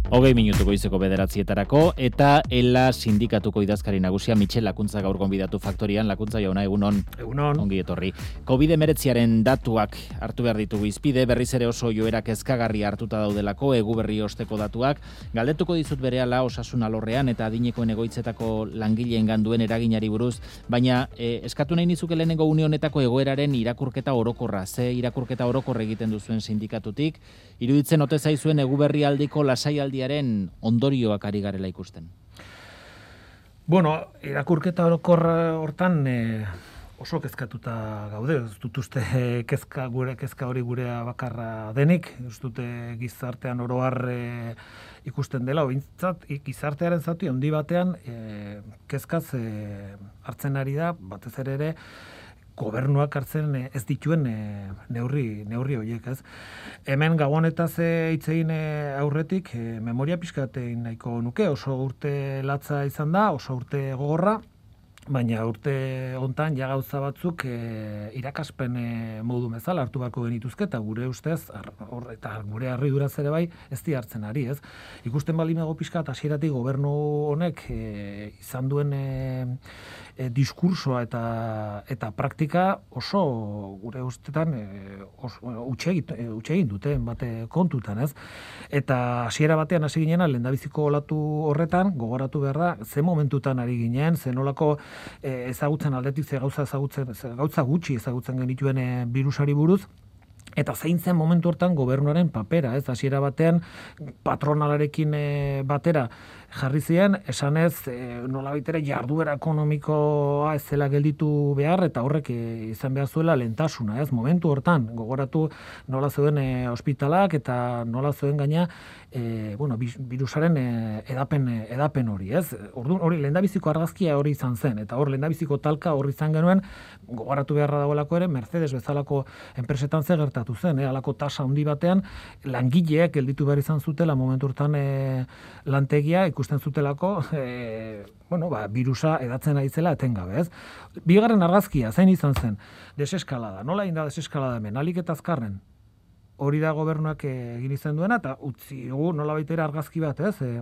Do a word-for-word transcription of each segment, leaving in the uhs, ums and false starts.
Hogei minutu goizeko bederatzietarako, eta ela sindikatuko idazkari nagusia Michel Lakuntza gaur gonbidatu faktorian. Lakuntza jauna, egunon. Egunon. Ongi etorri. covid hemeretziaren datuak hartu behar ditugu izpide, berriz ere oso joera kezkagarri hartuta daudelako, egu berri osteko datuak. Galdetuko dizut berehala osasun alorrean eta adinekoen egoitzetako langileen ganduen eraginari buruz, baina eh, eskatu nahi nizuke lehenengo une honetako egoeraren irakurketa orokorra, ze irakurketa orokorra egiten duzuen sindikatutik, iruditzen ote zaizuen egu berri aldiko lasaialdi ondorioak ari garela ikusten? Bueno, irakurketa orokorra hortan e, oso kezkatuta gaude. Ez dut uste kezka, gure kezka hori gurea bakarra denik. Ez dute gizartean oro har e, ikusten dela, ointzat gizartearen zati handi batean e, kezkaz e, hartzen ari da, batez ere ere, gobernuak hartzen ez dituen neurri neurri horiek, ez. Hemen gabonetaz hitz egin aurretik memoria pixkat egin nahiko nuke, oso urte latza izan da, oso urte gogorra, baina urte hontan ja gauza batzuk e, irakaspen e, modu bezala hartu beharko genituzke, eta gure ustez, ar, or, eta gure harriduraz ere bai, ez di hartzen ari, ez. Ikusten bali mago pixkat hasieratik gobernu honek e, izan duen e, e, diskursoa eta eta praktika oso gure ustetan e, utxe egin dute bate kontutan, ez. Eta hasiera batean hasi ginena lehendabiziko olatu horretan gogoratu behar da ze momentutan ari ginen, ze nolako E, ezagutzen aldetik ze gauza ezagutzen ze gauza gutxi ezagutzen genituen e, birusari buruz, eta zein zen momentu hortan gobernuaren papera, ez, hasiera batean patronalarekin e, batera jarri ziren, esanez e, nolabait ere jarduera ekonomikoa ez zela gelditu behar, eta horrek e, izan behar zuela lehentasuna, ez, momentu hortan gogoratu nola zeuden e, ospitalak eta nola zeuden gaina e, bueno, birusaren e, edapen edapen hori, ez. Orduan hori lehendabiziko argazkia hori izan zen, eta hor lehendabiziko talka hori izan genuen, gogoratu beharra dagoelako ere Mercedes bezalako enpresetan ze gertatu zen, eh, alako tasa handi batean langileek gelditu behar izan zutela momentu hortan e, lantegia ikusten zutelako e, bueno, ba, birusa edatzen ari zela etengabe, ez. Bigarren argazkia zein izan zen? Deseskalada. Nola egin da deseskalada hemen? Alik eta azkarren. Hori da gobernuak egin izan duena, eta utzi gu nola baitera argazki bat, ez? E,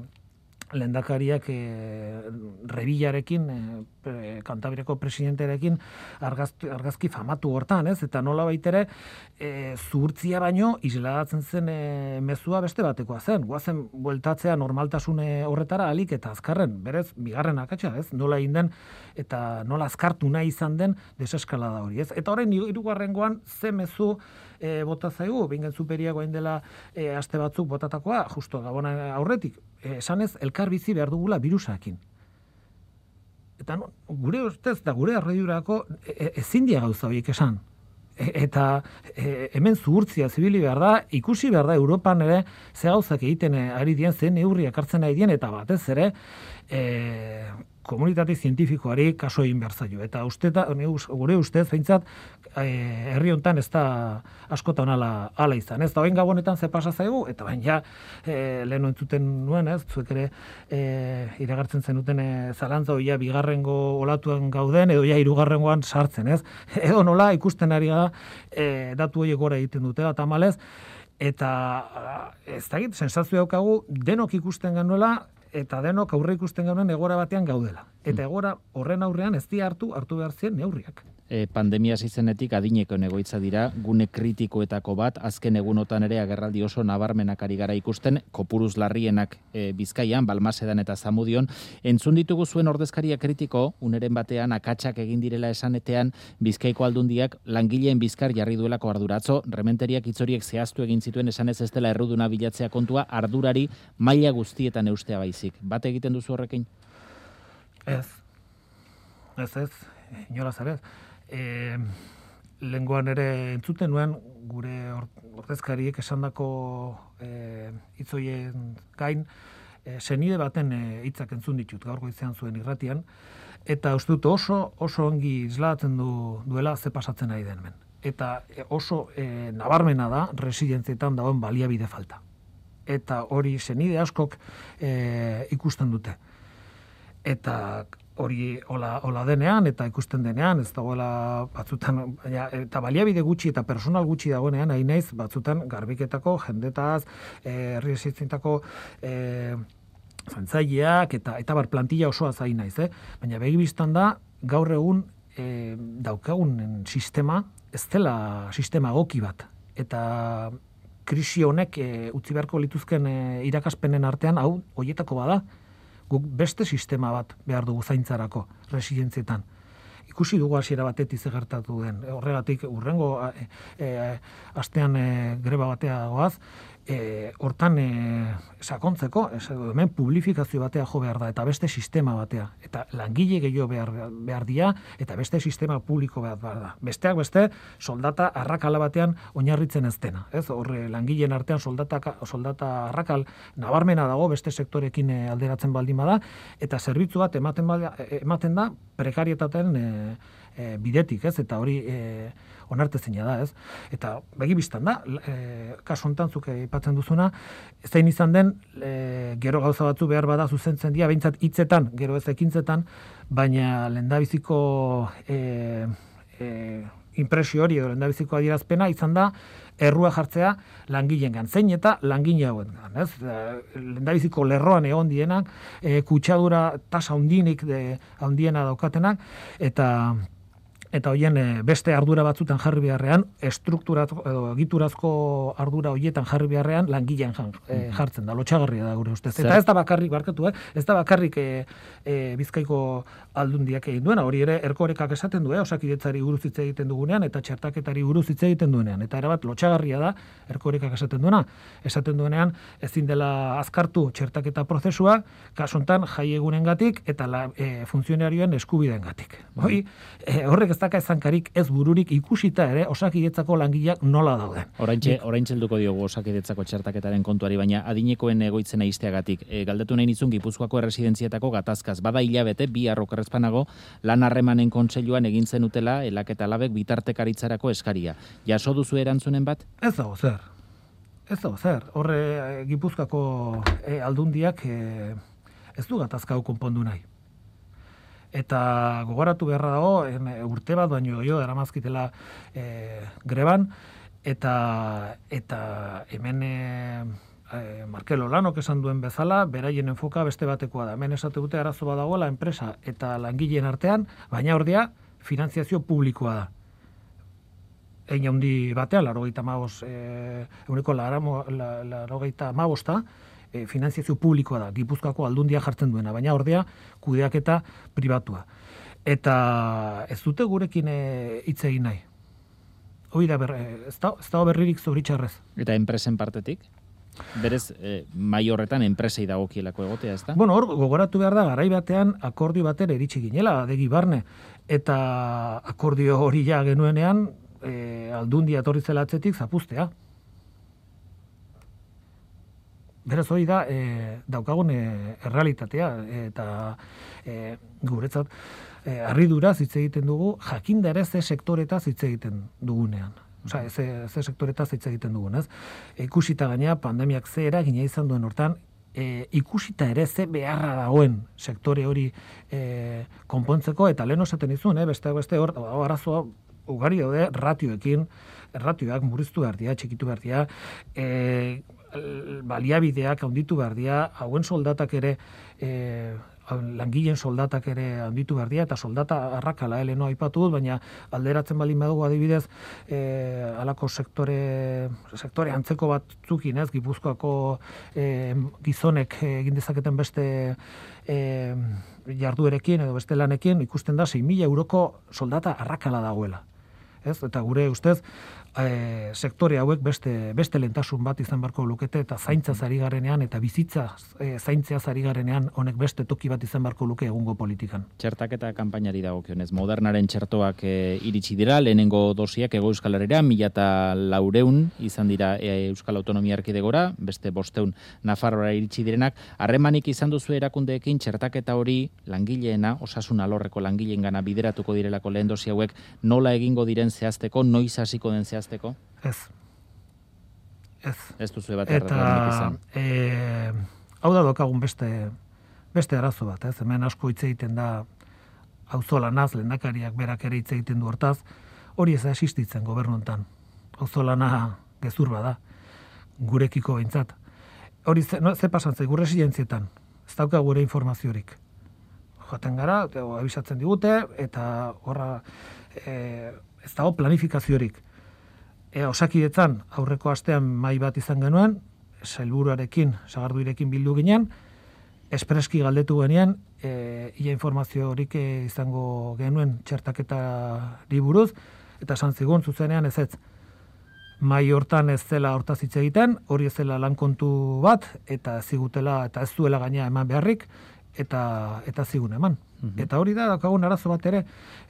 lehendakariak e, Rebillarekin, e, Kantabriako presidentearekin argazki, argazki famatu hortan, ez? Eta nola baitere e, zuhurtzia baino isladatzen zen e, mezua beste batekoa zen. Goazen bueltatzea normaltasune horretara alik eta azkarren, berez, bigarren akatsa, ez? Nola egin den eta nola azkartu nahi izan den deseskalada hori, ez? Eta horrein hirugarrengoan ze mezu e, bota zaigu, bingen superiagoa indela e, aste batzuk botatakoa, justo Gabona aurretik, e, esanez elkar bizi behar dugula birusakin. Eta no, gure ustez da gure arraidurako e, ezin dia gauza horiek esan. E, eta e, hemen zuhurtzia zibili behar da, ikusi behar da Europan ere ze gauzak egiten ari dien, ze neurriak hartzen ari dien, eta batez ere e, komunitate zientifikoari kaso egin behar zaio. Eta usteta, gure ustez, behintzat, e, herri hontan ez da askotan ala, ala izan. Ez da, oin gabonetan ze pasa zaigu, eta baina ja, e, lehen entzuten nuen, ez, zuek ere e, iragartzen zenuten e, zalantza oia bigarrengo olatuan gauden, edo ja hirugarrengoan sartzen, ez. Edo nola ikusten ari gara e, datu horiek gora egiten dute, eta malez, eta ez da egit, sensazio daukagu, denok ikusten genuela, eta denok aurre ikusten gauden egora batean gaudela. Eta egora horren aurrean ez di hartu, hartu behar zien neurriak. E, pandemia zizenetik adineko egoitza dira, gune kritikoetako bat, azken egunotan ere agerraldi oso nabarmenak ari gara ikusten, kopuruz larrienak e, Bizkaian, Balmasedan eta Zamudion. Entzun ditugu zuen ordezkaria kritiko, uneren batean akatsak egin direla esanetean, Bizkaiko aldundiak langileen bizkar jarri duelako arduratzo, rementeriak itzoriek zehaztu egin zituen esanez ez dela erruduna bilatzea kontua, ardurari maila guztietan eustea baizik. Bat egiten duzu horrekin? Ez. Ez ez, inolaz ere. E, lengoan ere entzuten nuen gure ordezkariek esandako e, hitzoien gain e, senide baten hitzak e, entzun ditut gaur goizean zuen irratian, eta uste dut oso oso ongi islatzen du, duela ze pasatzen ari den hemen. Eta e, oso e, nabarmena da residentzietan dagoen baliabide falta. Eta hori senide askok e, ikusten dute. Eta hori hola, hola denean eta ikusten denean, ez dagoela batzutan, baina, eta baliabide gutxi eta personal gutxi dagoenean, hain naiz batzutan garbiketako, jendetaz, herri eh, esitzintako eh, zantzaileak eta eta bar plantilla osoa zain naiz, eh? Baina begi bistan da, gaur egun eh, daukagun sistema, ez dela sistema egoki bat. Eta krisi honek e, utzi beharko lituzken e, irakaspenen artean, hau, hoietako bada, guk beste sistema bat behar dugu zaintzarako, resilientzietan. Ikusi dugu hasiera batetik ze gertatu den. Horregatik, urrengo e, e, astean e, greba batea goaz, e, hortan e, sakontzeko, ez, hemen publifikazio batea jo behar da, eta beste sistema batea. Eta langile gehiago behar, behar dia, eta beste sistema publiko behar, behar da. Besteak beste, soldata arrakala batean oinarritzen ez dena. Ez? Horre, langileen artean soldata, soldata arrakal nabarmena dago, beste sektorekin alderatzen baldin bada, eta zerbitzu bat ematen, bada, ematen da prekarietaten e, e, bidetik, ez? Eta hori e, onartezina da, ez? Eta begi bistan da, e, kasu hontan zuk aipatzen duzuna, zein izan den, e, gero gauza batzu behar bada zuzentzen dira, behintzat hitzetan, gero ez ekintzetan, baina lehendabiziko e, e, impresio hori edo lehendabiziko adierazpena izan da, errua jartzea langileengan, zein eta langile hauengan, ez? Lehendabiziko lerroan egon dienak, e, kutsadura tasa handinik de handiena daukatenak, eta eta hoien beste ardura batzutan jarri beharrean, estrukturazko edo egiturazko ardura hoietan jarri beharrean langileen e, jartzen da, lotsagarria da gure ustez. Eta ez da bakarrik barkatu, eh? Ez da bakarrik e, e, Bizkaiko aldundiak egin duena, hori ere Erkorekak esaten du, eh? Osakidetzari buruz hitz egiten dugunean eta txertaketari buruz hitz egiten duenean. Eta erabat lotsagarria da Erkorekak esaten duena, esaten duenean ezin dela azkartu txertaketa prozesua, kasu hontan jaiegunengatik eta la, e, funtzionarioen eskubideengatik. Hori, e, horrek ez daka ezankarik ez bururik ikusita ere Osakidetzako langileak nola dauden. Oraintxe oraintxe helduko diogu Osakidetzako txertaketaren kontuari, baina adinekoen egoitzen aisteagatik e, galdetu nahi nizun Gipuzkoako erresidentzietako gatazkaz. Bada hilabete bi arrokerrezpanago lan harremanen kontseiluan egin zenutela elaketa labek bitartekaritzarako eskaria. Jaso duzu erantzunen bat? Ez dago zer. Ez dago zer. Horre Gipuzkoako e, aldundiak e, ez du gatazka hau konpondu nahi. Eta gogoratu beharra dago, urte bat baino gehiago daramazkitela e, greban, eta, eta hemen e, Markel Olanok esan duen bezala, beraien enfoka beste batekoa da. Hemen esate dute arazo bat dagoela enpresa eta langileen artean, baina ordea finanziazio publikoa da. Egin handi batean, larogeita mabos, e, eguneko larogeita mabosta, E, finanziazio publikoa da, Gipuzkoako aldundia jartzen duena, baina ordea kudeaketa pribatua. Eta ez dute gurekin hitz e, egin nahi. Hoi da, ber, ez da, ez da berririk zoritxarrez. Eta enpresen partetik? Berez, e, mai horretan enpresei dagokielako egotea, ez da? Bueno, hor, gogoratu behar da, garai batean akordio batera iritsi ginela, adegi barne, eta akordio hori ja genuenean, e, aldundia etorri zela atzetik zapuztea. Beraz hori da, e, daukagun e, errealitatea, eta e, guretzat, e, harriduraz hitz egiten dugu, jakinda ere ze sektoretaz hitz egiten dugunean. Osa, ze, ze sektoretaz hitz egiten dugun, ez? E, ikusita gainea, pandemiak ze eragina izan duen hortan, e, ikusita ere ze beharra dagoen sektore hori e, konpontzeko, eta lehen osaten izun, eh? beste, beste hor, arazoa ugari daude ratioekin, ratioak murriztu behar dira, txikitu behar dira, e, baliabideak handitu behar dira, hauen soldatak ere, e, langileen soldatak ere handitu behar dira, eta soldata arrakala, eh, leheno aipatu dut, baina alderatzen baldin badugu adibidez, e, alako sektore, sektore antzeko batzukin, ez, Gipuzkoako e, gizonek egin dezaketen beste e, jarduerekin edo beste lanekin, ikusten da sei mila euroko soldata arrakala dagoela. Ez? Eta gure ustez, e, sektore hauek beste, beste lentasun bat izan beharko lukete, eta zaintza zari garenean, eta bizitza e, zaintzea zari garenean, honek beste toki bat izan beharko luke egungo politikan. Txertaketa kanpainari dagokionez, Modernaren txertoak e, iritsi dira, lehenengo dosiak Hego Euskal Herrira, mila eta laureun izan dira e, Euskal Autonomia Erkidegora, beste bosteun Nafarroara iritsi direnak. Harremanik izan duzu erakundeekin txertaketa hori langileena, osasun alorreko langileengana bideratuko direlako lehen dosi hauek, nola egingo diren zehazteko, noiz hasiko den zehazteko? Ez. Ez. Ez duzu bat erreklamonik izan. E, hau da dokagun beste, beste arazo bat, ez? Hemen asko hitz egiten da auzolanaz, lehendakariak berak ere hitz egiten du hortaz, hori ez da existitzen gobernu hontan. Auzolana gezur bada, gurekiko behintzat. Hori ze, no, ze pasantzai, gure residentzietan, ez dauka gure informaziorik. Joaten gara, abisatzen digute, eta horra e, ez dago planifikaziorik. E, Osakidetzan aurreko astean mahai bat izan genuen, sailburuarekin, sagarduirekin bildu ginen, espreski galdetu genean, e, ia informazio horik izango genuen txertaketari buruz, eta esan zigun zuzenean ez ez. Mai hortan ez zela hortaz hitz egiten, hori ez zela lan kontu bat, eta zigutela, eta ez zuela gaina eman beharrik, eta eta zigun eman. Mm-hmm. Eta hori da, daukagun arazo bat ere,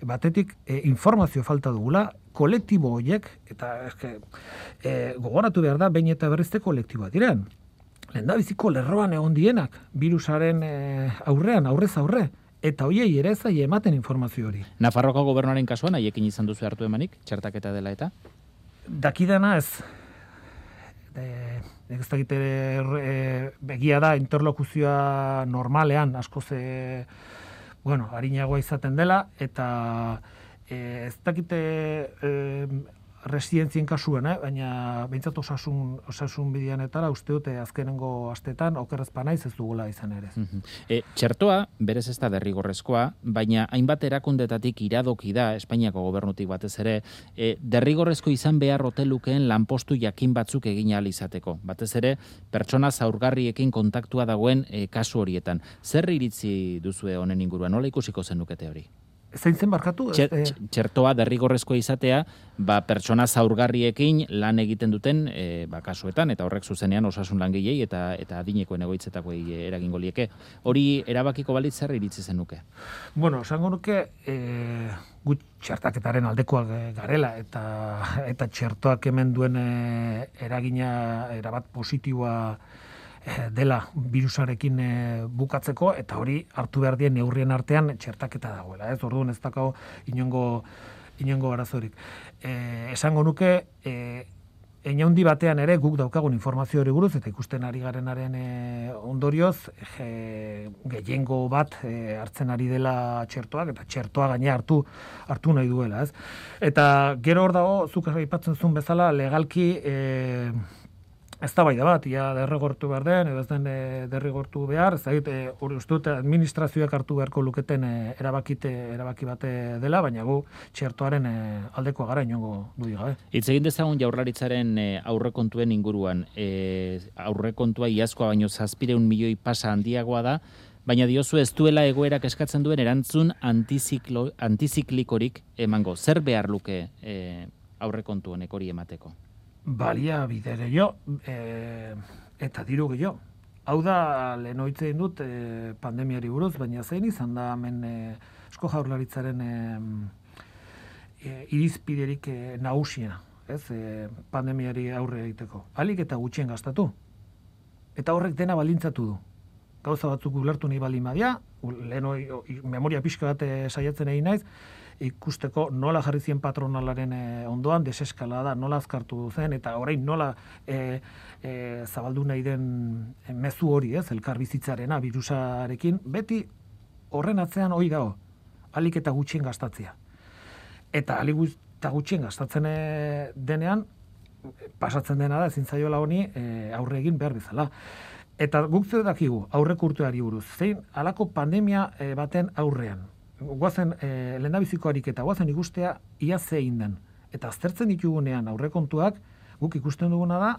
batetik e, informazio falta dugula, kolektibo horiek, eta eske, e, gogoratu behar da, behin eta berrizte kolektiboa diren. Lehendabiziko lerroan egon dienak, virusaren e, aurrean, aurrez aurre, eta hoiei ere zai ematen informazio hori. Nafarroko gobernuaren kasuan, haiekin izan duzu hartu emanik, txertaketa dela eta? Dakidana ez. E, ez dakit e, begia da interlokuzioa normalean, askoz e, bueno, harinagoa izaten dela, eta e, ez dakite e, residentzien kasuan, eh? Baina behintzat osasun, osasun bideanetara uste dute azkenengo astetan okerrezpa naiz ez dugula izan ere. Mm-hmm. E, txertoa, berez ez da derrigorrezkoa, baina hainbat erakundetatik iradoki da, Espainiako gobernutik batez ere, e, derrigorrezko izan behar hotelukeen lanpostu jakin batzuk egin ahal izateko. Batez ere, pertsona zaurgarriekin kontaktua dagoen e, kasu horietan. Zer iritzi duzue honen inguruan? Nola ikusiko zenukete hori? Zein zen barkatu? Txer, txertoa derrigorrezkoa izatea, ba, pertsona zaurgarriekin lan egiten duten e, ba, kasuetan, eta horrek zuzenean osasun langilei eta eta adinekoen egoitzetakoei eragingo lieke. Hori erabakiko balitz zer iritzi zenuke? Bueno, esango nuke e, gut txertaketaren aldekoak garela, eta eta txertoak hemen duen e, eragina erabat positiboa dela virusarekin e, bukatzeko, eta hori hartu behar dien neurrien artean txertaketa dagoela. Ez orduan ez dakau inongo, inongo arazorik. E, esango nuke, e, einaundi batean ere guk daukagun informazio hori buruz, eta ikusten ari garenaren e, ondorioz, e, gehiengo bat e, hartzen ari dela txertoak, eta txertoa gaine hartu hartu nahi duela. Ez? Eta gero hor dago, zuk aipatzen zuen bezala, legalki e, ez da bai da bat, ia derrigortu behar den, edo ez den e, derrigortu behar, ez da hori uste dute administrazioak hartu beharko luketen e, erabakite, erabaki bate dela, baina gu txertoaren e, aldekoa gara inongo dudik gabe. Hitz egin dezagun Jaurlaritzaren e, aurrekontuen inguruan, e, aurrekontua iazkoa baino zazpireun milioi pasa handiagoa da, baina diozu ez duela egoerak eskatzen duen erantzun antiziklo, antiziklikorik emango. Zer behar luke e, aurrekontu honek hori emateko? Balia bide gehiago, e, eta diru gehiago. Hau da, lehen oitzen dut e, pandemiari buruz, baina zein izan da hemen e, Eusko Jaurlaritzaren e, e, irizpiderik e, nagusia, ez, e, pandemiari aurre egiteko. Alik eta gutxien gastatu. Eta horrek dena balintzatu du. Gauza batzuk ulertu nahi baldin badia, lehen oi, memoria pixka bat e, saiatzen egin naiz, ikusteko nola jarri zien patronalaren e, ondoan, deseskalada, nola azkartu zen, eta orain nola e, e, zabaldu nahi den mezu hori, ez, elkar bizitzarena, virusarekin, beti horren atzean hori dago, alik eta gutxien gastatzea. Eta alik eta gutxien gastatzen e, denean, pasatzen dena da, ezin zaiola honi e, aurre egin behar bezala. Eta guk zeu dakigu, aurreko urteari buruz, zein halako pandemia e, baten aurrean. Guazen, e, lehendabiziko ariketa, guazen ikustea ia zein den. Eta aztertzen ditugunean aurrekontuak, guk ikusten duguna da,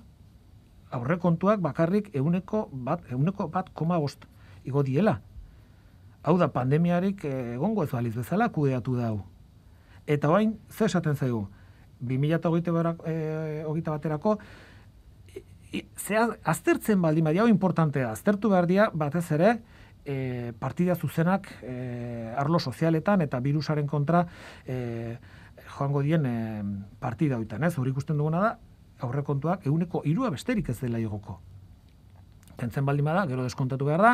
aurrekontuak bakarrik euneko bat, euneko bat koma bost igo diela. Hau da, pandemiarik egongo ez baliz bezala kudeatu da hau. Eta orain, ze esaten zaigu, bi mila hogeita baterako, zea, aztertzen baldin badia, hau importantea, aztertu behar dia, batez ere, E, partida zuzenak e, arlo sozialetan eta virusaren kontra e, joango dien e, partida hoitan, ez? Hori ikusten duguna da, aurrekontuak ehuneko hirua besterik ez dela igoko. Kentzen baldin bada, gero deskontatu behar da,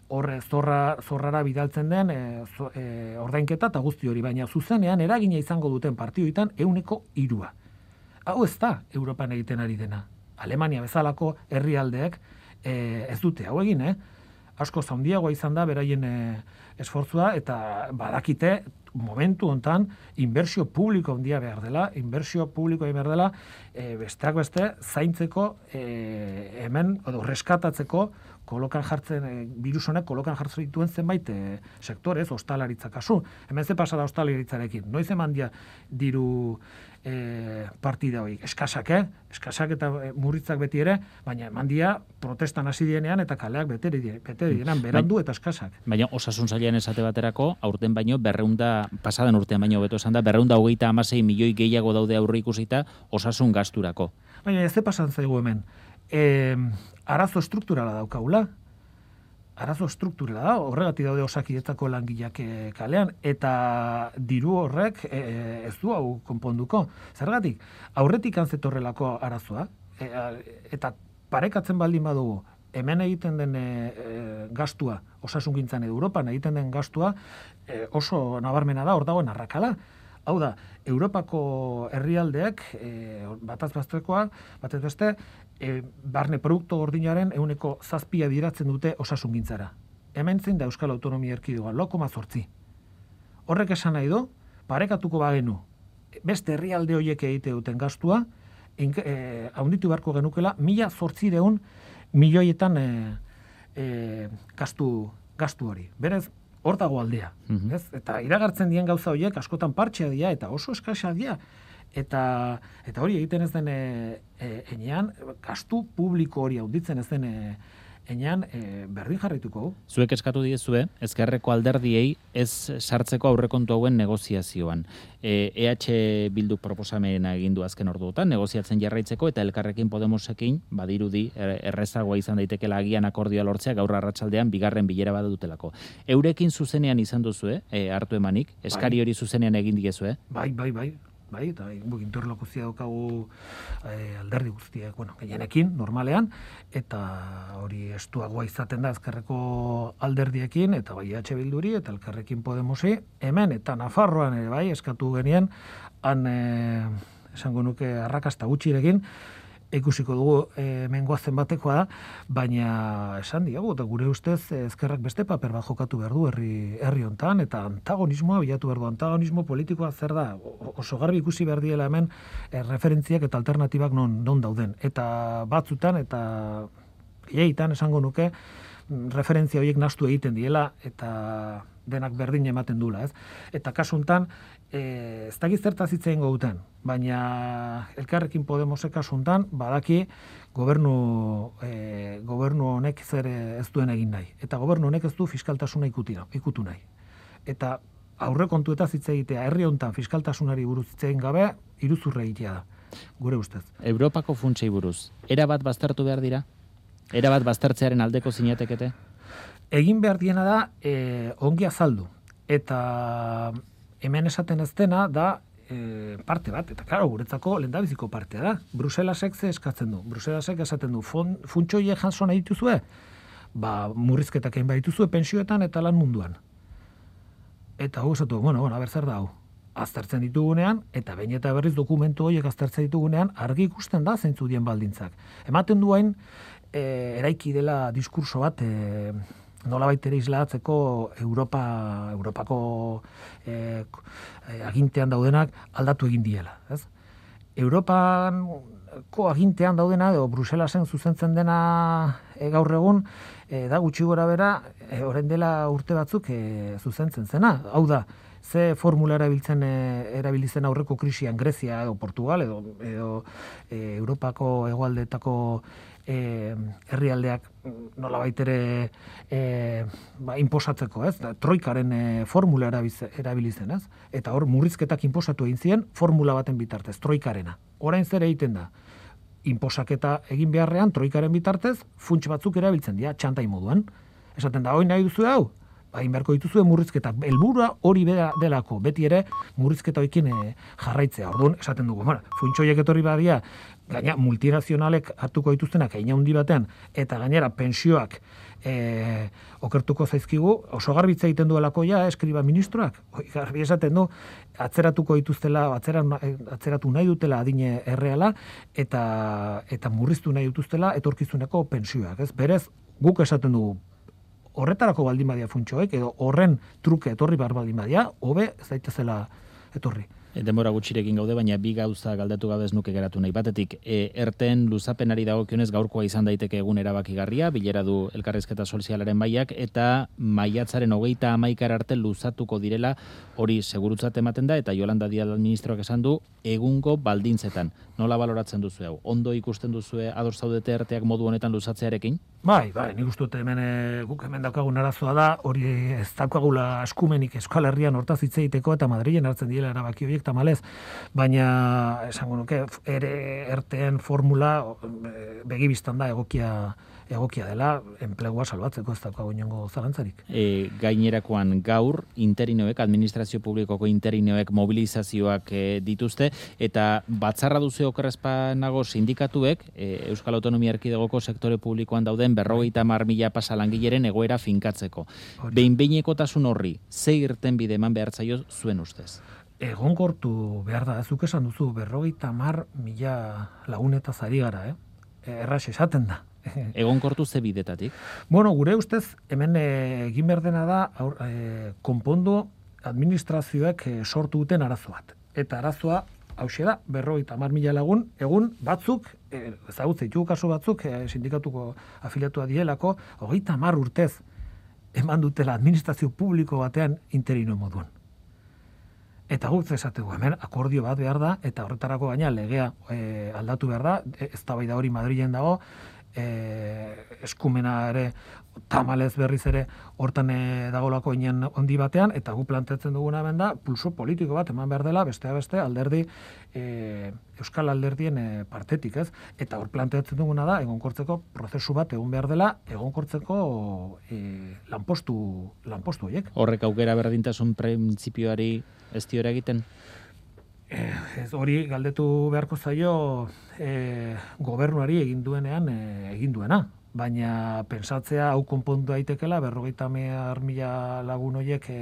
horre zorra, zorrara bidaltzen den e, zo, e, ordainketa eta guzti hori, baina zuzenean eragina izango duten partioetan ehuneko hirua. Hau ez da Europan egiten ari dena. Alemania bezalako herrialdeek e, ez dute hau egin, eh? asko zaundiagoa izan da beraien e, esfortzua, eta badakite momentu hontan inbertsio publiko handia behar dela, inbertsio publiko behar dela, e, besteak beste, zaintzeko, e, hemen, edo reskatatzeko, kolokan jartzen, e, virus honek kolokan jartzen dituen zenbait e, sektorez, ostalaritza kasu. Hemen ze pasa da ostalaritzarekin. Noiz eman dia diru e, partida horiek. Eskasak, eh? Eskasak eta murritzak beti ere, baina eman dia protestan hasi dienean eta kaleak bete dienean, berandu eta eskasak. Baina osasun sailean esate baterako, aurten baino berreunda, pasadan urtean baino beto esan da, berreunda hogeita hamasei milioi gehiago daude aurre ikusita osasun gasturako. Baina ez ze pasan zaigu hemen. E, arazo strukturala daukagula. Arazo strukturala da, horregatik daude osakidetzako langileak kalean, eta diru horrek e, ez du hau konponduko. Zergatik, aurretik antzetorrelako arazoa, e, eta parekatzen baldin badugu, hemen egiten den e, gastua, osasungintzan edo Europan egiten den gastua, e, oso nabarmena da, hor dagoen arrakala. Hau da, Europako herrialdeak, e, bataz bestekoa, batez beste, e, barne produktu gordinaren ehuneko zazpia bideratzen dute osasungintzara. Hemen zein da Euskal Autonomia Erkidegoa, lau koma zortzi. Horrek esan nahi du, parekatuko bagenu, beste herrialde horiek egite duten gastua, e, haunditu beharko genukela, mila zortzireun milioietan e, e, gastu, gastu hori. Berez, hor dago aldea. Mm-hmm. Ez? Eta iragartzen dien gauza horiek askotan partxea dira eta oso eskasa dira. Eta, eta hori egiten ez den e, e, enean, gastu publiko hori haunditzen ez den e, enean e, berdin jarrituko. Zuek eskatu diezue, ezkerreko alderdiei ez sartzeko aurrekontu hauen negoziazioan. E, EH Bilduk proposamena egin du azken orduotan, negoziatzen jarraitzeko, eta Elkarrekin Podemosekin, badirudi, errezagoa izan daitekeela agian akordioa lortzea gaur arratsaldean bigarren bilera bat dutelako. Eurekin zuzenean izan duzue, e, hartu emanik, eskari hori zuzenean egin diezue? Bai, bai, bai. Bai, eta interlokuzia daukagu eh, alderdi guztiak, bueno, gehienekin, normalean, eta hori estuagoa izaten da ezkerreko alderdiekin, eta bai E H Bilduri, eta Elkarrekin Podemosi, hemen, eta Nafarroan ere bai, eskatu genien, han, eh, esango nuke, arrakasta gutxirekin, ikusiko dugu e, mengoazen batekoa da, baina esan diago, eta gure ustez ezkerrak beste paper bat jokatu behar du herri, herri hontan, eta antagonismoa bilatu behar du. Antagonismo politikoa zer da, oso garbi ikusi behar diela hemen e, referentziak eta alternatibak non, non dauden. Eta batzutan, eta gehiagitan esango nuke, referentzia horiek nahastu egiten diela, eta denak berdin ematen dula, ez? Eta kasu hontan, e, ez dakit zertaz hitz egingo duten, baina Elkarrekin Podemosek kasu hontan badaki gobernu e, gobernu honek zer ez duen egin nahi. Eta gobernu honek ez du fiskaltasuna ikutu, ikutu nahi. Eta aurrekontuetaz hitz egitea herri hontan fiskaltasunari buruz hitz egin gabe iruzurra egitea da, gure ustez. Europako funtsei buruz, era bat baztertu behar dira? Era bat baztertzearen aldeko zinatekete? Egin behar diena da e, ongi azaldu. Eta hemen esaten ez dena da e, parte bat. Eta klaro, guretzako lehendabiziko partea da. Bruselasek ze eskatzen du. Bruselasek esaten du, funtsoiek jaso nahi dituzue? Ba, murrizketak egin behar dituzue pentsioetan eta lan munduan. Eta hau esatu, bueno, bueno, ber zer da hau. Aztertzen ditugunean, eta behin eta berriz dokumentu horiek aztertzen ditugunean, argi ikusten da zeintzu dien baldintzak. Ematen duain, e, eraiki dela diskurso bat, e, nolabait ere islatzeko Europa, Europako e, agintean daudenak aldatu egin diela. Ez? Europako agintean daudena, edo Bruselasen zuzentzen dena e, gaur egun, e, da gutxi gora bera, e, orain dela urte batzuk e, zuzentzen zena. Hau da, ze formula erabiltzen e, erabilizen aurreko krisian Grezia edo Portugal edo, edo e, Europako hegoaldeetako e, herrialdeak nolabait ere e, ba, inposatzeko, ez? Da, troikaren e, formula erabilizen, ez? Eta hor murrizketak inposatu egin ziren formula baten bitartez, troikarena. Orain zer egiten da? Inposaketa egin beharrean troikaren bitartez funts batzuk erabiltzen dira txantai moduan. Esaten da, hori nahi duzu hau? Bain beharko dituzue murrizketak. Helburua hori bera delako, beti ere murrizketa hoekin e, jarraitzea. Orduan, esaten dugu, bueno, funtsoiek etorri badia, gaina multinazionalek hartuko dituztenak egin handi batean, eta gainera pensioak e, okertuko zaizkigu, oso garbitza egiten duelako ja, eskriba ministroak. Oi, garbi esaten du, atzeratuko dituztela, atzera, atzeratu nahi dutela adine erreala, eta, eta murriztu nahi dituztela etorkizuneko pensioak. Ez? Berez, guk esaten dugu, horretarako baldin badia funtsoek, edo horren truke etorri bar baldin badia, hobe ez daitezela etorri. Denbora gutxirekin gaude, baina bi gauza galdatu gabe ez nuke geratu nahi. Batetik, e, erten luzapenari dagokionez gaurkoa izan daiteke egun erabakigarria, bilera du elkarrizketa sozialaren baiak, eta maiatzaren hogeita hamaikara arte luzatuko direla, hori segurutzat ematen da, eta Yolanda Díaz ministroak esan du, egungo baldintzetan. Nola baloratzen duzu hau? Ondo ikusten duzue ados zaudete erteak modu honetan luzatzearekin? Bai, bai, nik uste dut hemen guk hemen daukagun arazoa da, hori ez daukagula eskumenik Euskal Herrian hortaz hitz egiteko eta Madrilen hartzen direla erabaki horiek tamalez, baina esango nuke ere erteen formula begibistan da egokia egokia dela, enplegua salbatzeko ez daukagu inongo zalantzarik. E, gainerakoan gaur, interinoek, administrazio publikoko interinoek mobilizazioak e, dituzte, eta batzarra duzu okerrezpanago sindikatuek, e, Euskal Autonomia Erkidegoko sektore publikoan dauden berrogeita hamar mila pasa langileren egoera finkatzeko. Behin-behinekotasun horri, ze irtenbide eman behar zaio zuen ustez? Egonkortu behar da, zuk esan duzu, berrogeita hamar mila lagunetaz ari gara, eh? Erraz esaten da. Egonkortu ze bidetatik? Bueno, gure ustez, hemen egin behar dena da, aur, e, konpondu administrazioek e, sortu duten arazo bat. Eta arazoa, hauxe da, berrogeita hamar mila lagun, egun batzuk, e, ezagutze ditugu kasu batzuk, e, sindikatuko afiliatua dielako, hogeita hamar urtez eman dutela administrazio publiko batean interino moduan. Eta guk esategu, hemen akordio bat behar da, eta horretarako gaina legea e, aldatu behar da, eztabaida hori Madrilen dago, e, eskumena ere tamalez berriz ere hortan e, dagolako inen ondi batean, eta gu planteatzen duguna hemen da, pulso politiko bat eman behar dela, bestea beste alderdi, e, Euskal alderdien e, partetik, ez? Eta hor planteatzen duguna da, egonkortzeko prozesu bat egon behar dela, egonkortzeko e, lanpostu, lanpostu horiek. Horrek aukera berdintasun printzipioari ez diora egiten? Ez hori galdetu beharko zaio e, gobernuari egin duenean e, egin duena. Baina pensatzea hau konpondu daitekela berrogeita hamar mila lagun horiek e,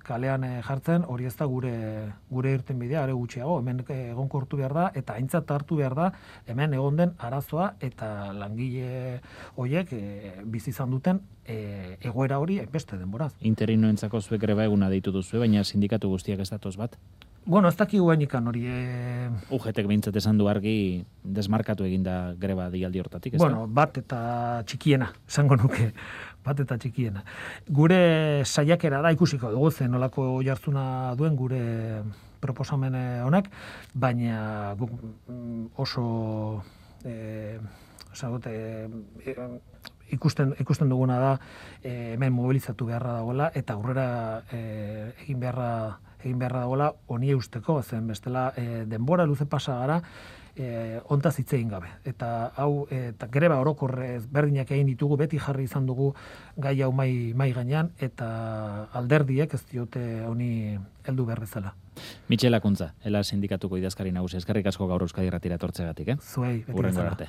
kalean e, jartzen, hori ez da gure gure irtenbidea, are gutxiago, hemen egonkortu behar da eta aintzat hartu behar da hemen egon den arazoa eta langile horiek e, bizi izan duten e, egoera hori beste denboraz. Interinoentzako zuek greba eguna deitu duzu, baina sindikatu guztiak ez datoz bat? Bueno, ez dakigu hainikan hori... E... U G T-ek behintzat esan du argi desmarkatu eginda greba deialdi hortatik, ez bueno, da? Bat eta txikiena, esango nuke, bat eta txikiena. Gure saiakera da ikusiko dugu zen nolako jartzuna duen gure proposamen honek, baina oso e, esagote, e, ikusten, ikusten duguna da e, hemen mobilizatu beharra dagoela eta aurrera e, egin beharra egin beharra dagoela honi eusteko, zen bestela e, denbora luze pasa gara e, ontaz hitz egin gabe. Eta hau, eta greba orokorrez berdinak egin ditugu, beti jarri izan dugu gai hau mai, mai gainean, eta alderdiek ez diote honi heldu behar bezala. Mitxel Akuntza, Ela sindikatuko idazkari nagusi, eskerrik asko gaur Euskadi Irratira etortzegatik, eh? Zuei, beti Hurrengo arte.